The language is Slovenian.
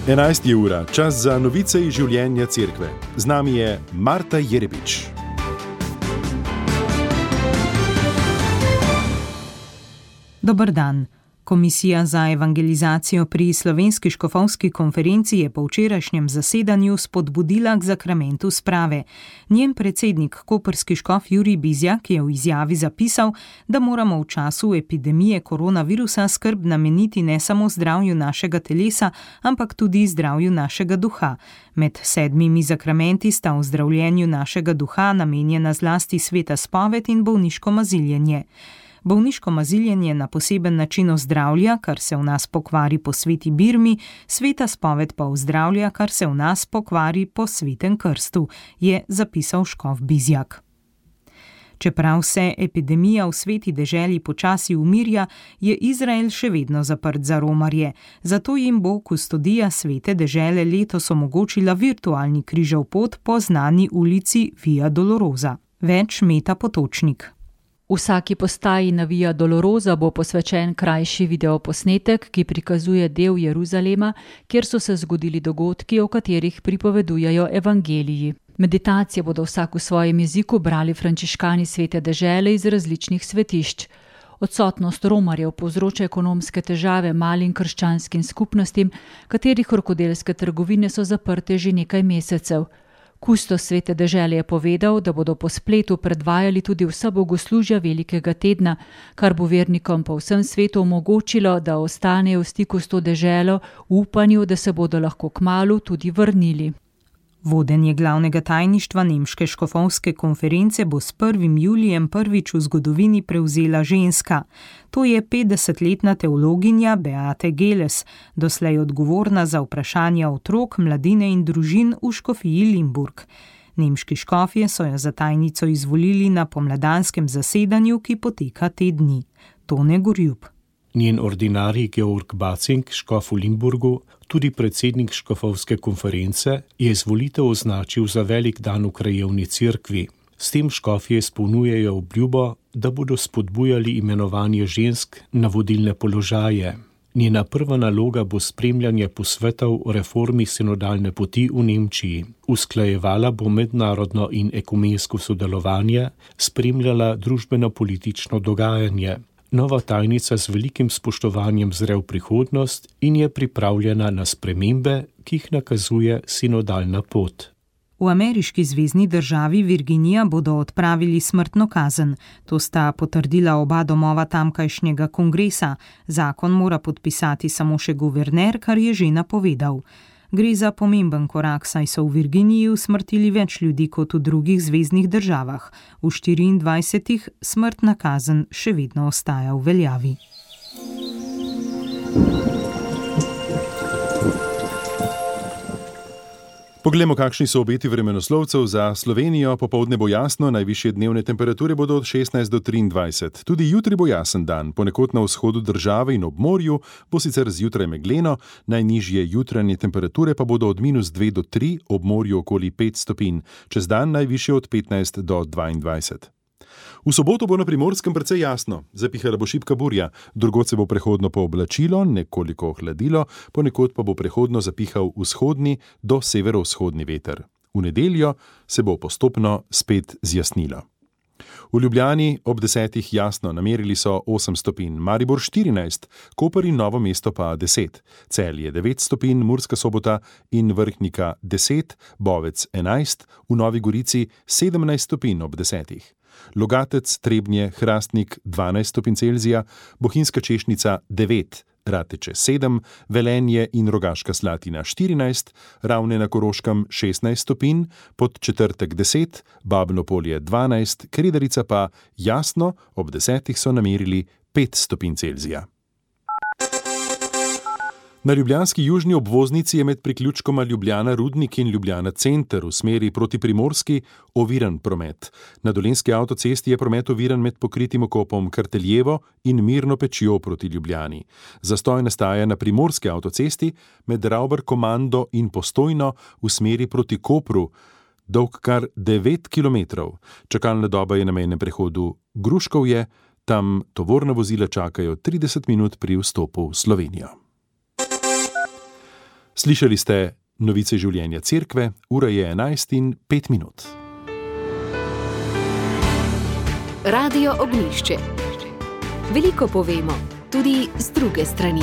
11 ura, čas za novice iz življenja cerkve. Z nami je Marta Jerebič. Dober dan. Komisija za evangelizacijo pri Slovenski škofovski konferenci je po včerajšnjem zasedanju spodbudila k zakramentu sprave. Njen predsednik, koprski škof Jurij Bizjak, je v izjavi zapisal, da moramo v času epidemije koronavirusa skrb nameniti ne samo zdravju našega telesa, ampak tudi zdravju našega duha. Med 7 zakramenti sta v zdravljenju našega duha namenjena zlasti sveta spoved in bolniško maziljenje. Bolniško maziljenje na poseben način ozdravlja, kar se v nas pokvari po sveti birmi, sveta spoved pa ozdravlja, kar se v nas pokvari po svetem krstu, je zapisal škof Bizjak. Čeprav se epidemija v sveti deželi počasi umirja, je Izrael še vedno zaprt za romarje. Zato jim bo kustodija svete dežele letos omogočila virtualni križev pot po znani ulici Via Dolorosa. Več Meta Potočnik. Vsaki postaji na Via Dolorosa bo posvečen krajši videoposnetek, ki prikazuje del Jeruzalema, kjer so se zgodili dogodki, o katerih pripovedujejo evangeliji. Meditacije bodo vsak v svojem jeziku brali frančiškani svete dežele iz različnih svetišč. Odsotnost romarjev povzroča ekonomske težave malim krščanskim skupnostim, katerih rokodelske trgovine so zaprte že nekaj mesecev. Kustos svete dežele je povedal, da bodo po spletu predvajali tudi vsa bogoslužja velikega tedna, kar bo vernikom po vsem svetu omogočilo, da ostanejo v stiku s to deželo v upanju, da se bodo lahko kmalu tudi vrnili. Vodenje glavnega tajništva Nemške škofovske konference bo s 1. julijem prvič v zgodovini prevzela ženska. To je 50-letna teologinja Beate Geles, doslej odgovorna za vprašanja otrok, mladine in družin v škofiji Limburg. Nemški škofje so jo za tajnico izvolili na pomladanskem zasedanju, ki poteka te dni. Tone Gorjub. Njen ordinarij Georg Bacing, škof v Limburgu, tudi predsednik škofovske konference, je izvolitev označil za velik dan v krajevni cerkvi. S tem škofje izpolnjujejo obljubo, da bodo spodbujali imenovanje žensk na vodilne položaje. Njena prva naloga bo spremljanje posvetov o reformi sinodalne poti v Nemčiji. Usklajevala bo mednarodno in ekumensko sodelovanje, spremljala družbeno-politično dogajanje. Nova tajnica z velikim spoštovanjem zre v prihodnost in je pripravljena na spremembe, ki jih nakazuje sinodalna pot. V ameriški zvezni državi Virginija bodo odpravili smrtno kazen. To sta potrdila oba domova tamkajšnjega kongresa. Zakon mora podpisati samo še guverner, kar je že napovedal. Gre za pomemben korak, saj so v Virginiji usmrtili več ljudi kot v drugih zveznih državah. V 24 smrtna kazen še vedno ostaja v veljavi. Poglejmo, kakšni so obeti vremenoslovcev za Slovenijo. Popoldne bo jasno, najvišje dnevne temperature bodo od 16 do 23. Tudi jutri bo jasen dan, ponekod na vzhodu države in ob morju bo sicer zjutraj megleno, najnižje jutranje temperature pa bodo od -2 do 3, ob morju okoli 5 stopinj, čez dan najvišje od 15 do 22. V soboto bo na Primorskem precej jasno, zapihala bo šibka burja, drugod se bo prehodno pooblačilo, nekoliko ohladilo, ponekod pa bo prehodno zapihal vzhodni do severovzhodni veter. V nedeljo se bo postopno spet zjasnilo. V Ljubljani ob 10 jasno, namerili so 8 stopinj, Maribor 14, Koper in Novo mesto pa 10, Celje 9 stopinj, Murska Sobota in Vrhnika 10, Bovec 11, v Novi Gorici 17 stopinj ob 10. Logatec, Trebnje, Hrastnik 12 stopinj Celzija, Bohinjska Češnica 9, Rateče 7, Velenje in Rogaška Slatina 14, Ravne na Koroškem 16 stopinj, Podčetrtek 10, Babno Polje 12, Kredarica pa jasno, ob 10 so namerili 5 stopinj Celzija. Na ljubljanski južni obvoznici je med priključkoma Ljubljana Rudnik in Ljubljana Center v smeri proti Primorski oviran promet. Na Dolenjski avtocesti je promet oviran med pokritim okopom Karteljevo in Mirno Pečjo proti Ljubljani. Zastoj nastaja na Primorski avtocesti med Ravbar Komando in Postojno v smeri proti Kopru, dolg kar 9 kilometrov. Čakalna doba je na mejnem prehodu Gruškovje, tam tovorna vozila čakajo 30 minut pri vstopu v Slovenijo. Slišali ste novice življenja cerkve, ura je 11:05. Radio Ognjišče. Veliko povemo, tudi z druge strani.